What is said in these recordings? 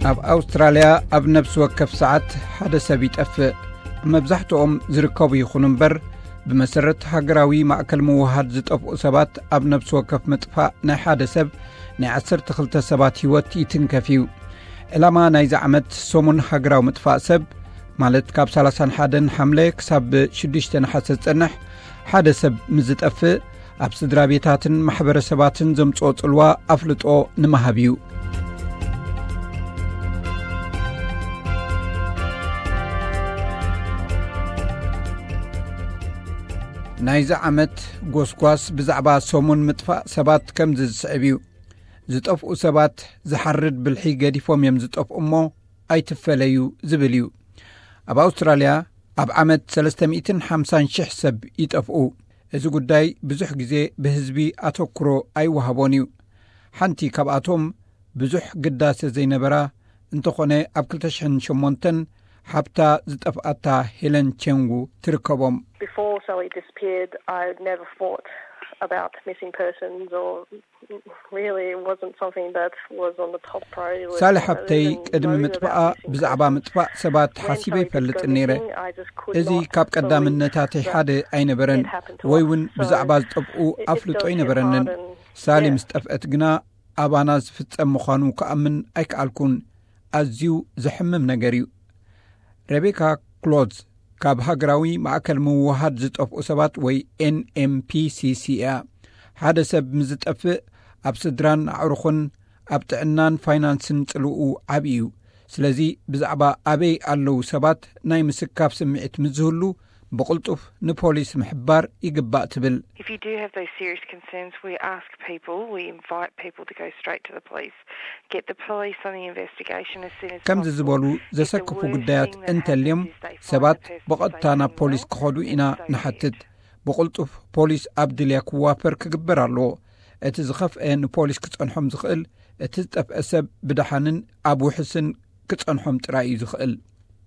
ኣብ ኣውስትራልያ ኣብ ነፍሲ ወከፍ ሰዓት ሓደ ሰብ ይጠፍእ። መብዛሕትኦም ዝርከቡ ይኹኑ እምበር፣ ብመሰረት ሃገራዊ ማእከል ምውሃድ ዝጠፍኡ ሰባት ኣብ ነፍሲ ወከፍ ምጥፋእ ናይ ሓደ ሰብ ናይ ዓሰርተ ክልተ ሰባት ህይወት ይትንከፍ እዩ። ዕላማ ናይዚ ዓመት ሰሙን ሃገራዊ ምጥፋእ ሰብ፣ ማለት ካብ ሰላሳን ሓደን ሓምለ ክሳብ ሽዱሽተ ነሓሰ ዝጸንሕ፣ ሓደ ሰብ ምስ ዝጠፍእ ኣብ ስድራ ቤታትን ማሕበረሰባትን ዘምጽኦ ጽልዋ ኣፍልጦ ንምሃብ እዩ። ናይዚ ዓመት ጎስጓስ ብዛዕባ ሰሙን ምጥፋእ ሰባት ከምዚ ዝስዕብ እዩ። ዝጠፍኡ ሰባት ዝሓርድ ብልሒ ገዲፎም እዮም ዝጠፍኡ እሞ ኣይትፈለዩ ዝብል እዩ። ኣብ ኣውስትራልያ ኣብ ዓመት ሰለስተ ሚእትን ሓምሳን ሽሕ ሰብ ይጠፍኡ። እዚ ጉዳይ ብዙሕ ግዜ ብህዝቢ ኣተኩሮ ኣይወሃቦን እዩ። ሓንቲ ካብኣቶም ብዙሕ ግዳሰ ዘይነበራ እንተኾነ ኣብ ክልተ ሽሕን ሸሞንተን ሓብታ ዝጠፍኣታ ሄለን ቸንጉ ትርከቦም። Before Sally disappeared, I never thought about missing persons or really it wasn't something that was on the top priority list. ሳሊ ሓብተይ ቅድሚ ምጥፋኣ ብዛዕባ ምጥፋእ ሰባት ሓሲበ ይፈልጥን ነይረ። እዚ ካብ ቀዳምነታተይ ሓደ ኣይነበረን፣ ወይ እውን ብዛዕባ ዝጠፍኡ ኣፍልጦ ኣይነበረንን። ሳሊ ምስ ጠፍአት ግና ኣባና ዝፍጸም ምዃኑ ክኣምን ኣይከኣልኩን። ኣዝዩ ዘሕምም ነገር እዩ። ሬቤካ ክሎዝ ካብ ሃገራዊ ማእከል ምውሃድ ዝጠፍኡ ሰባት ወይ ኤንኤምፒሲሲ እያ። ሓደ ሰብ ምስ ዝጠፍእ ኣብ ስድራን ኣዕሩኽን ኣብ ጥዕናን ፋይናንስን ጽልኡ ዓቢ እዩ። ስለዚ ብዛዕባ ኣበይ ኣለዉ ሰባት ናይ ምስካፍ ስምዒት ምስ ዝህሉ ብቕልጡፍ ንፖሊስ ምሕባር ይግባእ ትብል። If you do have those serious concerns, we ask people, we invite people to go straight to the police, get the police on the investigation as soon as ከምዚ ዝበሉ ዘሰክፉ ጉዳያት እንተልዮም ሰባት ብቐጥታ ናብ ፖሊስ ክኸዱ ኢና ንሓትት። ብቕልጡፍ ፖሊስ ኣብ ድልያ ክዋፈር ክግበር ኣለዎ። እቲ ዝኸፍአ ንፖሊስ ክጸንሖም ዝኽእል እቲ ዝጠፍአ ሰብ ብደሓንን ኣብ ውሕስን ክጸንሖም ጥራይ እዩ ዝኽእል።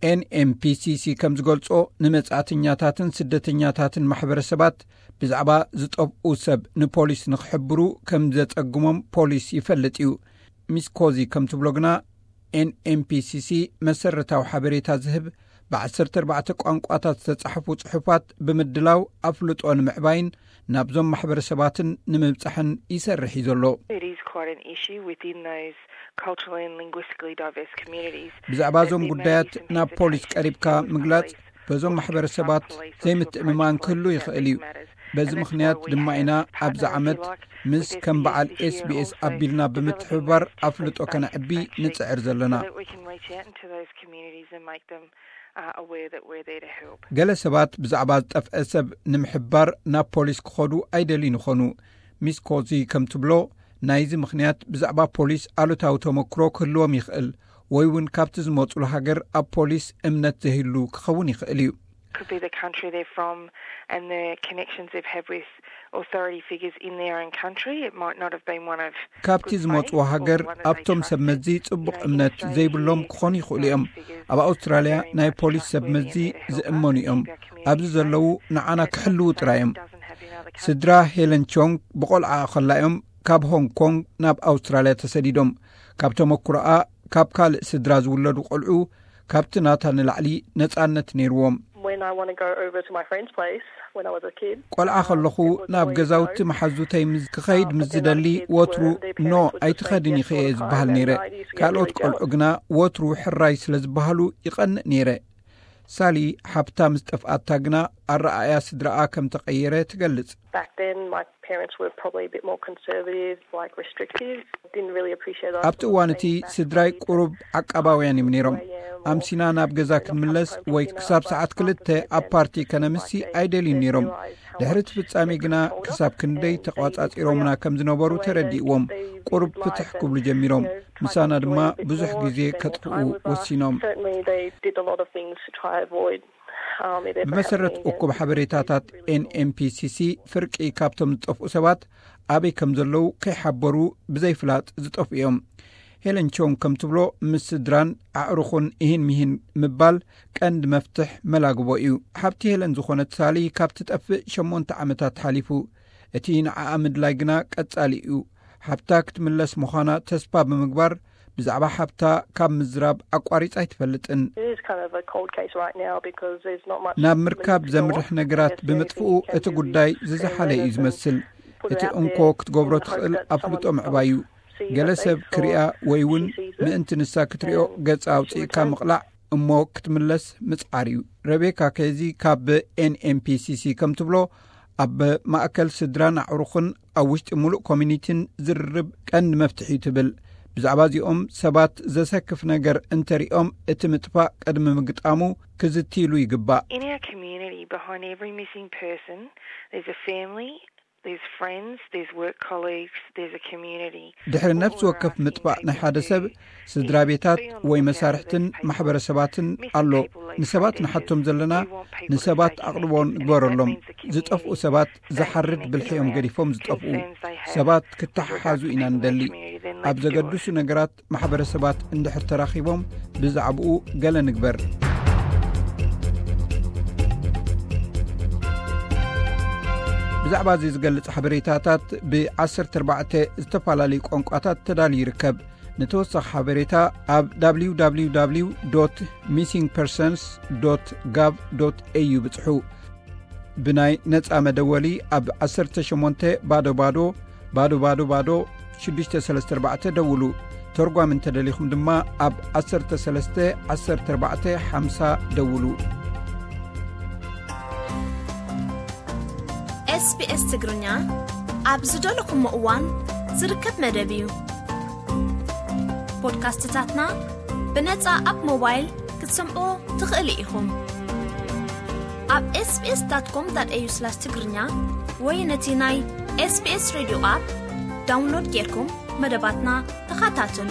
ኤንኤምፒሲሲ ከም ዝገልጾ ንመጻእተኛታትን ስደተኛታትን ማሕበረሰባት ብዛዕባ ዝጠፍኡ ሰብ ንፖሊስ ንክሕብሩ ከም ዘጸግሞም ፖሊስ ይፈልጥ እዩ። ሚስ ኮዚ ከም ትብሎ ግና ኤንኤምፒሲሲ መሰረታዊ ሓበሬታ ዝህብ ብ14 ቋንቋታት ዝተጻሕፉ ጽሑፋት ብምድላው ኣፍልጦ ንምዕባይን ናብዞም ማሕበረሰባትን ንምብጻሕን ይሰርሕ እዩ ዘሎ። It is quite an issue within those culturally and linguistically diverse communities. ብዛዕባ እዞም ጉዳያት ናብ ፖሊስ ቀሪብካ ምግላጽ በዞም ማሕበረሰባት ዘይምትእምማን ክህሉ ይኽእል እዩ። በዚ ምኽንያት ድማ ኢና ኣብዚ ዓመት ምስ ከም በዓል ኤስቢኤስ ኣቢልና ብምትሕብባር ኣፍልጦ ከነዕቢ ንጽዕር ዘለና። So that we can reach out into those communities and make them uh, aware that we're there to help. ገለ ሰባት ብዛዕባ ዝጠፍአ ሰብ ንምሕባር ናብ ፖሊስ ክኸዱ ኣይደልዩን ይኾኑ። ሚስ ኮዚ ከም ትብሎ፣ ናይዚ ምኽንያት ብዛዕባ ፖሊስ ኣሉታዊ ተመክሮ ክህልዎም ይኽእል፣ ወይ እውን ካብቲ ዝመጹሉ ሃገር ኣብ ፖሊስ እምነት ዘይህሉ ክኸውን ይኽእል እዩ። Could be the country they're from and the connections they've had with authority figures in their own country. It might not have been one of ካብቲ ዝመጽዎ ሃገር ኣብቶም ሰብ መዚ ጽቡቕ እምነት ዘይብሎም ክኾኑ ይኽእሉ እዮም። ኣብ ኣውስትራልያ ናይ ፖሊስ ሰብ መዚ ዝእመኑ እዮም። ኣብዚ ዘለዉ ንዓና ክሕልዉ ጥራይ እዮም። ስድራ ሄለን ቾንግ ብቆልዓ ከላ እዮም ካብ ሆንግ ኮንግ ናብ ኣውስትራልያ ተሰዲዶም። ካብ ተመክሮኣ ካብ ካልእ ስድራ ዝውለዱ ቆልዑ ካብቲ ናታ ንላዕሊ ነጻነት ነይርዎም። When I want to go over to my friend's place when I was a kid. ቆልዓ ከለኹ ናብ ገዛውቲ መሓዙተይ ምስ ክኸይድ ምስ ዝደሊ ወትሩ ኖ ኣይትኸድን ኢኺ እየ ዝበሃል ነይረ። ካልኦት ቆልዑ ግና ወትሩ ሕራይ ስለ ዝበሃሉ ይቐንእ ነይረ። ሳሊ ሓብታ ምስ ጠፍኣታ ግና ኣረኣእያ ስድራኣ ከም ተቐየረ ትገልጽ። Back then, my parents were probably a bit more conservative, like restrictive. Didn't really appreciate us. ኣብቲ እዋን እቲ ስድራይ ቁሩብ ዓቃባውያን እዮም ነይሮም። ኣምሲና ናብ ገዛ ክንምለስ ወይ ክሳብ ሰዓት ክልተ ኣብ ፓርቲ ከነምሲ ኣይደልዩን ነይሮም። ድሕሪ እቲ ፍጻሜ ግና ክሳብ ክንደይ ተቋጻጺሮምና ከም ዝነበሩ ተረዲእዎም ቁሩብ ፍትሕ ክብሉ ጀሚሮም። ምሳና ድማ ብዙሕ ግዜ ከጥፍኡ ወሲኖም። Certainly, they did a lot of things to try avoid. Um, it ever ብመሰረት happening again. እኩብ ሓበሬታታት ኤንኤምፒሲሲ፣ ፍርቂ ካብቶም ዝጠፍኡ ሰባት ኣበይ ከም ዘለዉ ከይሓበሩ ብዘይፍላጥ ዝጠፍኡ እዮም። ሄለን ቾንግ ከም ትብሎ፣ ምስ ስድራን ኣዕሩኹን ኢሂን ሚሂን ምባል ቀንዲ መፍትሕ መላግቦ እዩ። ሓብቲ ሄለን ዝኾነት ሳሊ ካብ ትጠፍእ ሸሞንተ ዓመታት ሓሊፉ። እቲ ንዓኣ ምድላይ ግና ቀጻሊ እዩ። ሓብታ ክትምለስ ምዃና ተስፋ ብምግባር ብዛዕባ ሓብታ ካብ ምዝራብ ኣቋሪጻ ኣይትፈልጥን። It is kind of a cold case right now because there's not much ናብ ምርካብ ዘምርሕ ነገራት ብምጥፍኡ እቲ ጉዳይ ዝዘሓለ እዩ ዝመስል። እቲ እንኮ ክትገብሮ ትኽእል ኣፍልጦ ምዕባይ እዩ። ገለ ሰብ ክሪኣ ወይ እውን ምእንቲ ንሳ ክትሪኦ ገጻ ኣውፅእካ ምቕላዕ እሞ ክትምለስ ምጽዓር እዩ። ረቤካ ከዚ ካብ ኤንኤምፒሲሲ ከም ትብሎ ኣብ ማእከል ስድራን ኣዕሩኽን ኣብ ውሽጢ ሙሉእ ኮሚኒቲን ዝርርብ ቀንዲ መፍትሒ እዩ ትብል። ብዛዕባ እዚኦም ሰባት ዘሰክፍ ነገር እንተሪኦም እቲ ምጥፋእ ቅድሚ ምግጣሙ ክዝትይሉ ይግባእ። In our community, behind every missing person, there's a family, there's friends, there's work colleagues, there's a community. ድሕሪ ነፍሲ ወከፍ ምጥፋእ ናይ ሓደ ሰብ ስድራ ቤታት ወይ መሳርሕትን ማሕበረሰባትን ኣሎ። ንሰባት ንሓቶም ዘለና ንሰባት ኣቕርቦ ንግበረሎም። ዝጠፍኡ ሰባት ዝሓርድ ብልሒኦም ገዲፎም ዝጠፍኡ ሰባት ክተሓሓዙ ኢና ንደሊ። ኣብ ዘገድሱ ነገራት ማሕበረሰባት እንድሕር ተራኺቦም ብዛዕባኡ ገለ ንግበር። ብዛዕባ እዚ ዝገልጽ ሓበሬታታት ብ14 ዝተፈላለዩ ቋንቋታት ተዳልዩ ይርከብ። ንተወሳኺ ሓበሬታ ኣብ www missing persons gov au ብጽሑ። ብናይ ነጻ መደወሊ ኣብ 18 ባዶ ባዶ ባዶ ባዶ ባዶ 634 ደውሉ። ተርጓሚ እንተደሊኹም ድማ ኣብ 13 14 50 ደውሉ። ኤስቢኤስ ትግርኛ ኣብ ዝደለኹሞ እዋን ዝርከብ መደብ እዩ። ፖድካስትታትና ብነጻ ኣብ ሞባይል ክትሰምዑ ትኽእሉ ኢኹም። ኣብ ኤስቢኤስ ዳት ኮም ዳት ኤዩ ስላሽ ትግርኛ ወይ ነቲ ናይ ኤስቢኤስ ሬድዮ ኣፕ ዳውንሎድ ጌርኩም መደባትና ተኸታተሉ።